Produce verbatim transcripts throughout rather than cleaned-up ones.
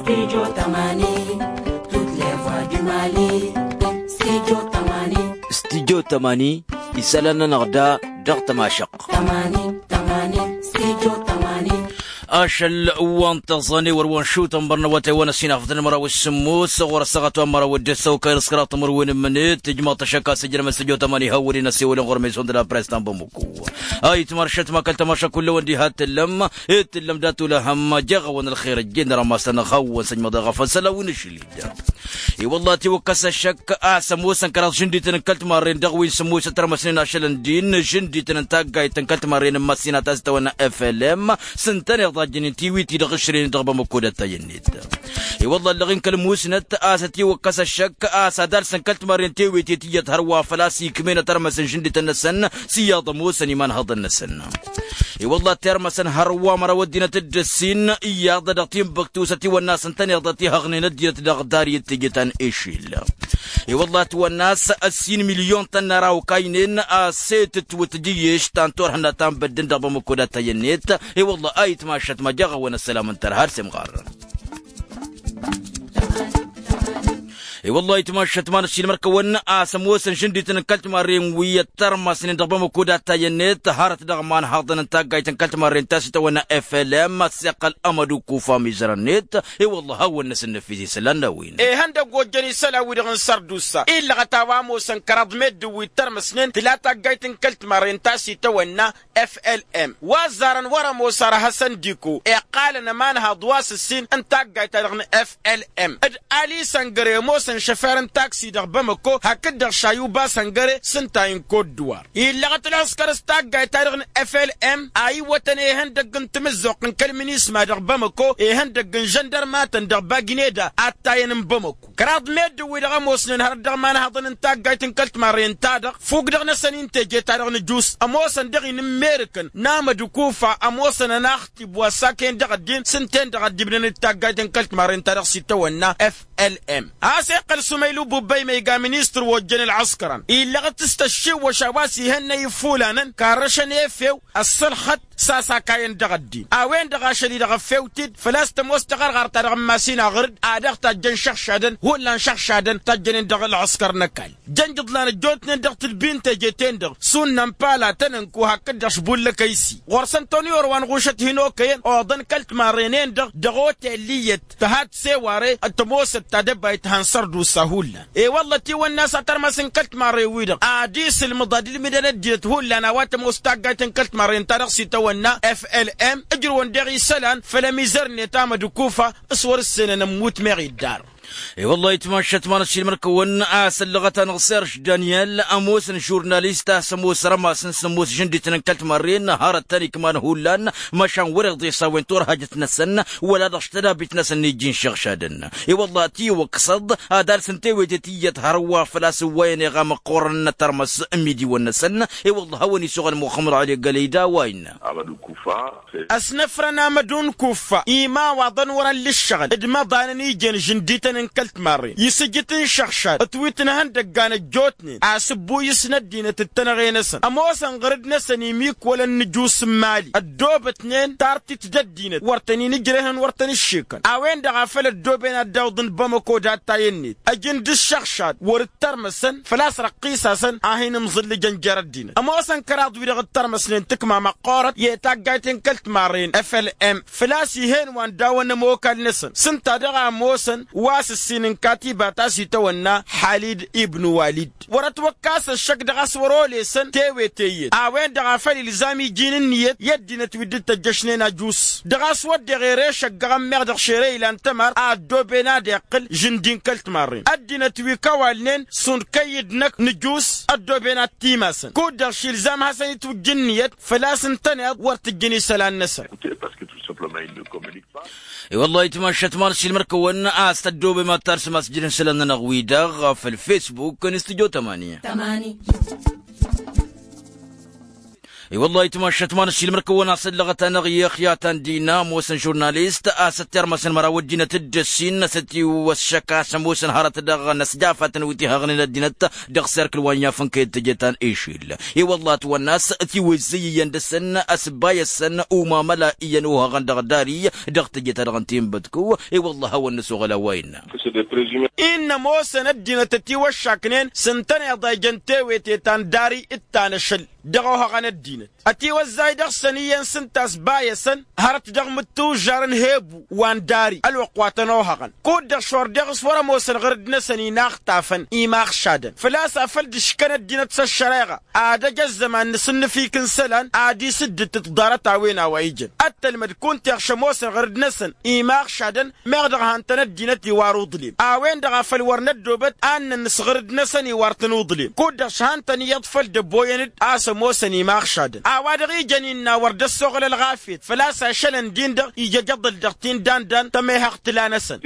Studio tămani, toutes les voix du mali. Studio tămani. Studio tămani, isălan-nănăɣ da dăɣ-tămašăɣt. Tămani, tămani, studio tămani. Ašăl wa n-tăẓane wăr wa n-šutăn bărnăwătay wa n-ăsinafătăn măraw s-sǝmmos ɣur-ăssaɣăt wa n-măraw d-ăssăw kăy-năskăraḍ timǝrwen n-imǝnet ijmaḍ-t ăššăk a-s ǝjrămăn studio tămani hawăl-in ăssewălăn ɣur-meson d-la press ta n-bamăko. Ayǝtmăršăt ma kăl-tămaša kull a-wen diha t-tǝllăm. Ed tǝllăm dat-olăhăm jeɣ-awăn ălxer ăjjeen dăr-ămasăn ăxawăn săjmăḍ i-ɣafăn săl a-wen ašăl-i-dd. I-wălla ătiwăkkăs ăššăk a-s ămoosăn kăraḍ žǝndităn n-kăl-timarren dăɣ-wi n-sǝmmosăt tărmăsnen ašăl n-din žǝndităn n-taggayt n-kăl-timarren n-măssinat a-s itawănna flm s-ǝntăneḍ a ǝjjǝnen tiwit-i-dăɣ ǝšrăynen dăɣ-bamăko d-attayăn-net. I-wălla ăllăɣ-in kăl-musnăt a-s ătiwăkkăs ăššăk a-s ad-alsăn kăl-timarren tewete tiyyăt hărwa făl-a-s ikmen ad-tărmăsăn žǝndităn-năsăn s-iyyăḍ ămoosăn imanhăḍăn-năsăn. I-wălla tirmăsăn hărwa măraw ăddinăt d-ǝssin iyyăḍ dăɣ-tinbăktu s-ătiwănna a-s ǝntăneḍ ad-t-ihăɣnen ăddinăt dăɣ-dari d-teje ta n-ešil. I-wălla ătwănna a-s ǝssin milyon tănna ra okaynen a-s e-tǝtwǝt jǝyyeš ta n-turhǝnna ta n-băddǝn dăɣ-bamăko d-attayăn-net. I-wălla a itmašăt ma jeɣ-awăn ăssălam n-tărha ar s-imɣarrăn. I-wălla itmašăt ma n-ăssiilmăr-kăwăn a-s ămoosăn žǝndităn n-kăl-timarren wi ăttărmăsnen dăɣ-bamăko d-attayăn-net hărăt dăɣ-imanhăḍăn n-taggayt n-kăl-timarren ta s-itawănna flm ăssiqqăl ămădukufa mizărăn-net. I-wălla hawăn-năsăn năfis isălan n-a-wen. Ihăndăgg ojjăn isălan-wi-dăɣ n-sărdusa illăɣăt a-wa ămoosăn kăraḍ meddǝn wi ǝttărmăsnen tǝla taggayt n-kăl-timarren ta s-itawănna flm wa ăzzarăn wăr-ămoos ar hasăn diko iqqalăn ămanhăḍ wa s-ǝssin n-taggayt-ta-dăɣ n-flm d-ali săngăre ămoosăn šăfer n-taksi dăɣ-bamăko hakd-dăɣ šayuba săngăre s-ǝnta i-n kot-dǝwar. Illăɣăt ălɣǝskăr s-taggayt-ta-dăɣ n-flm a iwwătăn ihăndăgg n-tamǝzzuɣt n-kăl-minisma dăɣ-bamăko ihăndăgg n-žăndărmatăn dăɣ-bagineda attayăn n-bamăko. Kăraḍ meddǝn-wi-dăɣ ămoosnen hărăt dăɣ-imanhăḍăn n-taggayt n-kăl-timarren-ta-dăɣ fukk dăɣ-năsăn-in teje-ta-dăɣ n-ǝjus ămoosăn dăɣ-i n-ǝmmerǝkăn n-amădǝkufa ămoosăn ănaxtib wa ăssakăyăn dăɣ-ăddin s-ǝnta-en-dăɣ a dd-ibnăn d-taggayt n-kăl-timarren-ta-dăɣ s-itawănna flm a-s iqqăl sumaylu bubba imăyga ministăr wa ojjăn ălɣǝskărăn illăɣăt s-tăššiwwăš a-wa s-ihănnăy ifulanăn karrăšăn efew ăssălxăt s-asakayăn dăɣ-ăddin a-wen-dăɣ ašăl-i-dăɣ ăffewt-dd făl-a-s tămoos taɣărɣart-ta-dăɣ n-masin aɣrǝd a dăɣ-tajjăn šăɣšadăn hullan šăɣšadăn tajjănen dăɣ-ălɣǝskăr n-ăkall jăn jǝḍlan ăjjootnen dăɣ-tǝlbi n-teje-ten-dăɣ sunnăn pala tănănku hakd-dăɣ šbullăk a-isi ɣur-săn toni orwan ɣušăt hin-okăyăn oḍăn kăl-timarren-en-dăɣ dăɣ-otel iyyăt tăhat seware d-tămoosăt tadăbayt han sărdusa hullan. E-wălla ătiwănna a-s atărmăs n-kăl-timarren-wi-dăɣ ad-isǝlmǝḍ ad-ilmǝdăn ăddinăt hullan a-wa tămoos taggayt n-kăl-timarren-ta-dăɣ s-itawănna flm ǝjrǝwăn daɣ isălan făll-ămizăr-net amădǝkufa s-wăr-ǝssenăn ămmut meɣ iddar. E-wălla-hi tmašat ma n-ăssiilmăr-kăwăn a-s ăllăɣăt-anăɣ serž daniel ămoosăn žurnalist a-s ămoos rămas n-sămoos žǝndităn n-kăl-timarren hărăt tăn-ikman hullan măšan wăr-iḍes a-wen turhajăt-năsăn wăla dăɣ-s tădabit-năsăn n-ijjin šăɣšadăn. E-wălla-hi tiwăkkăsăḍ ad-alsăn tewete tiyyăt hărwa făl-a-s ǝwwăyăn iɣa măqqoorăn n-atărmăs n-imidiwăn-năsăn. E-wălla-hi a-wen isuɣăn muxămmăd ɣali gălăy d-a-wa innă. Ăsnăfrăn amădun kuffa imawaḍăn wăr-ăllǝššăɣ d-imăḍanăn ijen žǝndităn n-kăl-timarren isǝjǝt n-išăɣšad ătwitnăhăn dăggan ăjjootnen a-s ǝbbu isnăt dinăt d-tănăɣe-năsăn ămoosăn ɣăr-dd-năsăn imikwălăn n-ǝjus n-imali ăddoobătnen tartit d-ăddinăt wăr tăn-in-ǝjrehăn wăr tăn-ǝššekăn a-wen-dăɣ a făl ăddooben ad-dd-awǝḍăn bamăko d-attay-net ăjǝn d-išăɣšad wăr-dd tărmăsăn făl-a-s răqqisasăn a hin-imẓǝllǝjăn jer-ăddinăt ămoosăn kăraḍ-wi-dăɣ ǝttărmăsnen tǝkma măqqoorăt i-taggayt n-kăl-timarren flm făl-a-s ih'-en wa n-dawăn ămokal-năsăn s-ǝnta daɣ a ămoosăn wa s-ǝssin n-katiba ta s-itawănna halid ibnu walid wăr-ătwăkkas ăššăk dăɣ-a-s wăr-olesăn tewete iyyăt a-wen-dăɣ a făl ilzam iji n-ǝnniyăt i-ăddinăt wi dd-tăjjăšnen ajus dăɣ-a-s wădden ere šăggăɣăn meɣ dăɣ-šere ilan tămar a ăddooben ad-iqqǝl žǝndi n-kăl-timarren ăddinăt wi kăwalnen šund kăy-dd-năkk nǝjus ăddooben ad-t-imasăn kud-dăɣ šilzam hasăn-itwǝjj ǝnniyăt făl-a-s ǝntăneḍ wăr tǝjjǝn isălan-năsăn. I-wălla-hi tmašat ma n-ăssiilmăr-kăwăn a-s tăddoobem ad-tarsǝm asǝjjǝd n-isălan-nănăɣ-wi-dăɣ făll-fesbuk n-studyo tămani. I-wăllah itmašat ma n-ašilmăr kăwăn-asăllăɣăt-anăɣ i-ăxya ta n-dina ămoosăn žurnalist a-s ăttirmăsăn măraw ăddinăt dd-ăssin a-s ătiwăššăk a-s ămoosăn hărăt dăɣ-năsja afatăn wi t-ihăɣnen ăddinăt dăɣ-serkǝl wa n-yafăn kăy-dd-tejăt ta n-išil. I-wăllah ătwănn'-as tiwǝzzǝy iyyăn dăɣ-săn ăsbayăsăn umamăla iyyăn ohăɣăn dăɣ-dari dăɣ-tejăt-ta-dăɣ n-tinbădkǝw. I-wăllah a-wăn năsoɣăl a-wa innă. Innă ămoosăn ăddinăt ătiwăššaknen s-ǝntăneḍ a ijăn tewete ta n-dari d-ta n-ašăl dăɣ-ohăɣăn ăddinăt ătiwăzzay dăɣ-săn iyyăn s-ǝnta ăsbayăsăn hărăt dăɣ-imǝttǝwžžarăn hebu wa n-dari ălwăqq wa tăn-ohăɣăn. Kud-dăɣ šor deɣ s-wăr-ămoosăn ɣǝrǝd-năsăn inaxtafăn imaxšadăn făl-a-s afăl dd-ǝškăn ăddinăt s-ăššăreɣa ad-ăj ăzzăman n-asǝnnǝfik n-isălan ad-isǝddǝt d-tiḍarăt a-wen a-wa ijăn. Ăttălmăd kunta iɣš ămoosăn ɣǝrǝd-năsăn imaxšadăn meɣ dăɣ-han-tăn ăddinăt iwar uḍlem a-wen-dăɣ a făl wăr năddoobăt ad-nănn s-ɣǝrǝd-năsăn iwar-tăn uḍlem. Kud-dăɣ šhan-tăn iyyăḍ făl dd-ăboyăn-dd a-s ămoosăn imaxšadăn a-wa-dăɣ ijăn innă wăr dd-ăssoɣǝl ălɣafyăt făl-a-s ašălăn-din-dăɣ ija ăjăḍăl dăɣ-tindandan tămehăɣt tǝla-năsăn.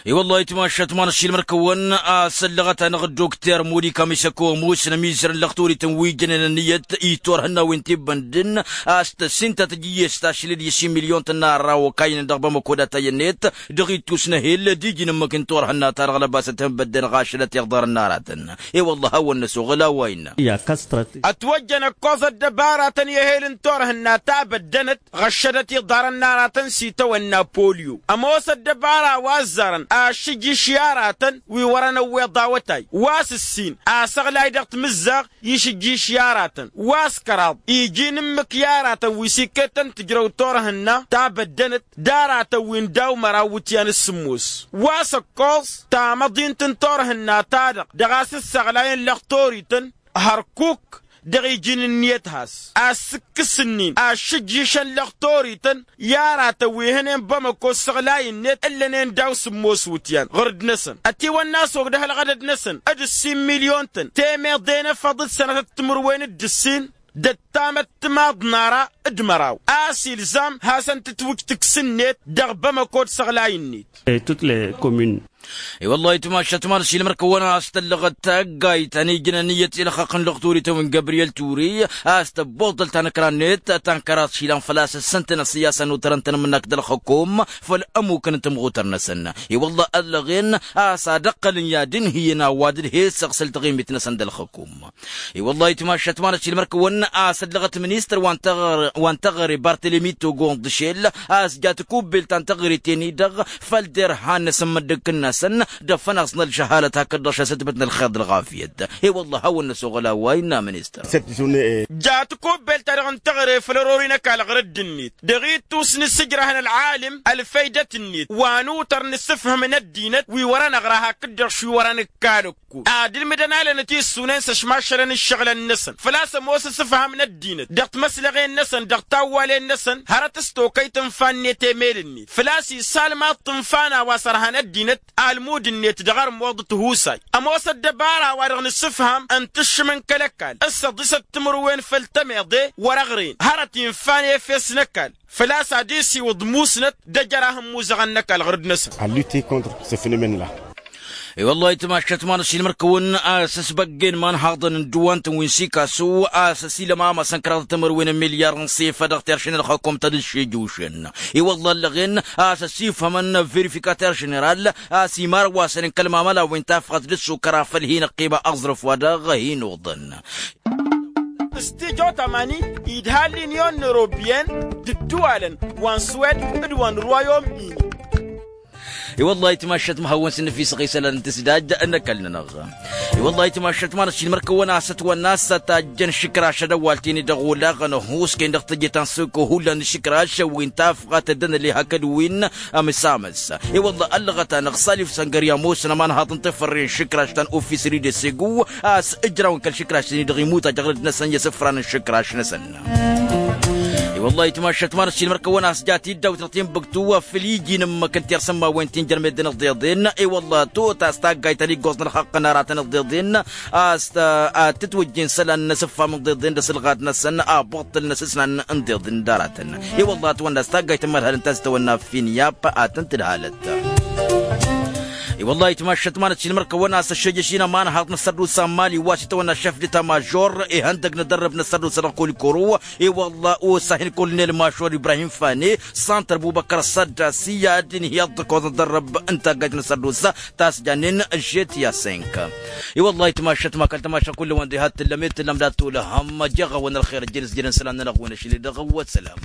I-wăllah itmašat ma n-ašilmăr-kăwăn a-s ăllăɣăt-anăɣ dd-okter modi kamisăko ămoosăn ămizărăn lăxturităn wi jănen ănniyăt i-turhǝnna wi n-tibbăndǝn a-s tăssin ta tǝjǝyyes tašlǝd i-similyon tănna ărra okaynen dăɣ-bamăko d-atayăn-net dăɣ-ittus n-ehel d-iji n-ǝmmǝk n-turhǝnna-ta-dăɣ lăbasăt hǝnbădden ɣašălăt iḍarăn n-aratăn. I-wăllah a-wăn-năsoɣăl a-wa innă. Ătwăjjăn ăkkoẓ ăddăbaratăn i-ehel n-turhǝnna ta băddănăt ɣăššădăt iḍarăn n-aratăn s-itawănna polyo ămoos ăddăbara wa ăzzarăn ašǝjjǝš i-aratăn wi wărăn ăwweḍ awătay wa s-ǝssin asăɣlay dăɣ-timǝzzaɣ išǝjjǝš i-aratăn wa s-kăraḍ iji n-ǝmmǝk i-aratăn wi s-ikketăn tǝjrăw turhǝnna ta băddănăt d-aratăn wi n-daw-măraw iwǝtyan s-sǝmmos wa s-ăkkoẓ tamăḍint n-turhǝnna-ta-dăɣ dăɣ-a-s ǝssăɣlayăn lăxtorităn hărkuk dăɣ-iji n-ǝnniyăt has-assǝkkǝs-nin ašǝjjǝšăn lăxtorităn i-aratăn wi hănen bamăko ǝssăɣlay-net ǝllănen daw-sǝmmos iwǝtyan ɣǝrǝd-năsăn ătiwănna a-s ogdăh ălɣădăd-năsăn d-ǝssin milyon-tăn temeḍe n-efăḍ d-sănatăt timǝrwen d-ǝssin d-ăttamăt timaḍ n-ara d-măraw a-s ilzam hasăn-tǝtwǝj tǝks-net dăɣ-bamăko d-isăɣlay-net. I-wăllah itmašat ma n-ašilmăr-kăwăn a-s tăllăɣăt taggayt ta n-ijnăn iyyăt i-ălxaqq n-lăxturităn wi n-gabriyel ture a-s tăbboḍăl ta n-ǝkra-net ta n-kăraḍ išilan făl-a-s ǝssǝntăn ăṣṣiyasa n-utărăn-tăn ǝmmǝnak d-ălxăkom făll-ămmukăn n-tămɣutăr-năsăn. I-wăllah ăllăɣen a-s ad-ăqqălăn i-ad-ǝnhǝyăn ăwadǝd he-săɣ săl taɣimit-năsăn d-ălxăkom. I-wăllah itmašat ma n-ašilmăr-kăwăn a-s ăllăɣăt ministăr wa n-taɣăre bartelemi togo n-dăšel a-s ja tikubbelt ta n-taɣăre teni-dăɣ făll-derhan n-asǝmmăddǝk-năsăn d-afănaẓ n-ălžăhalăt hakd-dăɣ šasătbăt n-ălxer d-ălɣafyăt. I-wăllah a-wăn-năsoɣăl a-wa innă ministăr. Ja tikubbelt-ta-dăɣ n-taɣăre făll-ărori n-ăkall ɣǝrǝdd-net dăɣ-ittus n-asǝjrăh n-ălɣalǝm ălfăydăt-net wa n-utăr n-asǝfhǝm n-ăddinăt wi wărăn ăɣra hakd-dăɣ š-wi wărăn ǝkkalăk ad-ǝlmǝdăn alănăt issunen s-ăšmašălăn ǝššăɣǝlăn-năsăn făl-a-s ămoos asǝfham n-ăddinăt dăɣ-timăslăɣen-năsăn dăɣ-tawwalen-năsăn hărăt s-tokăyt tǝnfa-net emel-net făl-a-s isalmaḍ tǝnfa n-a-wa s-ărhan ăddinăt almud-net dăɣ-armuḍ d-tihusay. Ămoos ăddăbara-wa-dăɣ n-asǝfham ǝntǝššǝm n-kăl-ăkall s-ăḍisăt timǝrwen făll-tămeḍe wăr-ăɣren hărăt infa n-efes n-ăkall făl-a-s ad-isiwǝḍ musnăt d-ejăr ahǝmmuzăɣăn n-ăkall ɣǝrǝd-năsăn. I-wăllah itmašat ma n-ašilmăr-kăwăn a-s ăsbăggen imanhaḍăn n-dăwant n-wi n-sikasu a-s ăsilăm amasăn kăraḍăt timǝrwen n-milyar n-sifa dăɣ-terše n-ălxăkom ta dd-šejušăn. I-wăllah ăllăɣen a-s ăsifhămăn verifikater ženeral a-s imarwasăn n-kăl-mamăla wi n-tafɣăt d-ăssukăra făll-hin-ăqqima aẓrǝf wa dăɣ-hin-oḍăn. S-tijo tamani idhal linyon n-eurobiyen d-ǝddǝwalăn wa n-swed d-wa n-rwayom-ini. I-wăllah itmašat ma hawăn-sǝnnǝf isăɣ isălan n-tǝsdaj n-ăkall-nănăɣ. I-wăllah itmašat ma n-ašilmăr-kăwăn a-s ătwănna a-s tajjăn išǝkraš ad-ăwwaltini dăɣ-olaɣăn ăhuusken dăɣ-tejăt ta n-sǝkko hullan n-išǝkraš wi n-tafɣat ăddănăle hakd wi n-amǝsamăs. I-wălla ăllăɣăt-anăɣ salif săngări ămoosăn ămanhaḍ n-tefărre n-išǝkraš ta n-ofisri d-esegu a-s ǝjraw n-kăl-išǝkraš-tăn-i-dăɣ imutaj aɣrǝd-năsăn i-asǝfran n-išǝkraš-năsăn. I-wălla itmašat ma n-ašilmăr-kăwăn a-s ja tiddawt dăɣ-tinbǝktu făl iji n-ǝmmǝk n-tirsǝmmawen ti n-jărmed d-inǝḍeḍen. I-wălla tot a-s taggayt ta n-iggoẓ n-ălxaqq n-aratăn ǝḍeḍen a-s ad-tǝtwǝjjen isălan n-asǝffam n-iḍeḍen d-asǝlɣat-năsăn abuṭṭǝl n-asǝsnan n-iḍeḍen d-aratăn. I-wălla ătwănna a-s taggayt n-imărhal ǝnta a-s tăwănna finyap ad-tăn-tǝdhalăt. I-wăllah itmašăt manăt šilmăr kăwăn-as ăššejăš-in ămanhăḍ n-asărdusa n-mali wa s-itawănna šăf d-tamajor ihăndăg n-adărrăb n-asărdusa dăɣ-kolikoro. I-wăllah osa hin-kolnel mašor ibrahim fane santăr bubăkăr sădda s-iyyad inhǝyăḍ d-ăkoẓ n-adărrăb n-taggajt n-asărdusa tasjanen žetiya senk. I-wăllah itmašăt ma kăl-tamaša kull-ăwăn diha t-tǝllăm i-t-tǝllăm dat-tulăhăm jeɣ-awăn ălxer ăjjăn s-jănen isălan-nănăɣ wi n-ašăl-i-dăɣ. Wăssălam.